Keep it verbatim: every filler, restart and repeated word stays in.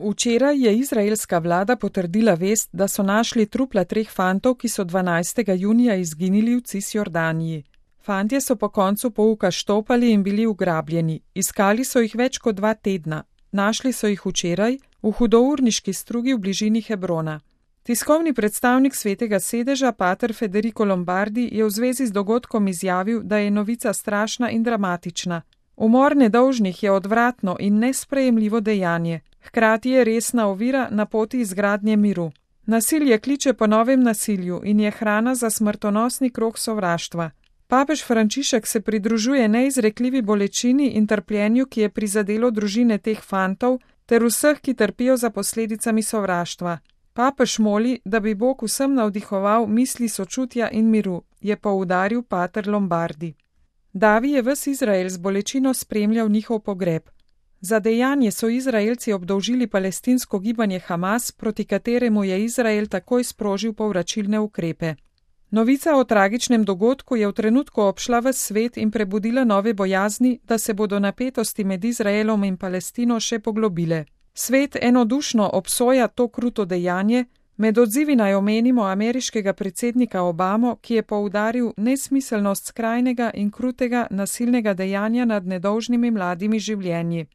Včeraj je izraelska vlada potrdila vest, da so našli trupla treh fantov, ki so dvanajstega junija izginili v Cisjordaniji. Fantje so po koncu pouka štopali in bili ugrabljeni. Iskali so jih več kot dva tedna. Našli so jih včeraj v hudourniški strugi v bližini Hebrona. Tiskovni predstavnik Svetega sedeža, pater Federico Lombardi, je v zvezi z dogodkom izjavil, da je novica strašna in dramatična. Umor nedolžnih je odvratno in nesprejemljivo dejanje. Hkrati je resna ovira na poti izgradnje miru. Nasilje kliče po novem nasilju in je hrana za smrtonosni krog sovraštva. Papež Frančišek se pridružuje neizrekljivi bolečini in trpljenju, ki je prizadelo družine teh fantov, ter vseh, ki trpijo za posledicami sovraštva. Papež moli, da bi Bog vsem navdihoval misli sočutja in miru, je poudaril pater Lombardi. Davi je ves Izrael z bolečino spremljal njihov pogreb. Za dejanje so Izraelci obdolžili palestinsko gibanje Hamas, proti kateremu je Izrael takoj sprožil povračilne ukrepe. Novica o tragičnem dogodku je v trenutku obšla ves svet in prebudila nove bojazni, da se bodo napetosti med Izraelom in Palestino še poglobile. Svet enodušno obsoja to kruto dejanje, med odzivi naj omenimo ameriškega predsednika Obamo, ki je poudaril nesmiselnost skrajnega in krutega nasilnega dejanja nad nedolžnimi mladimi življenji.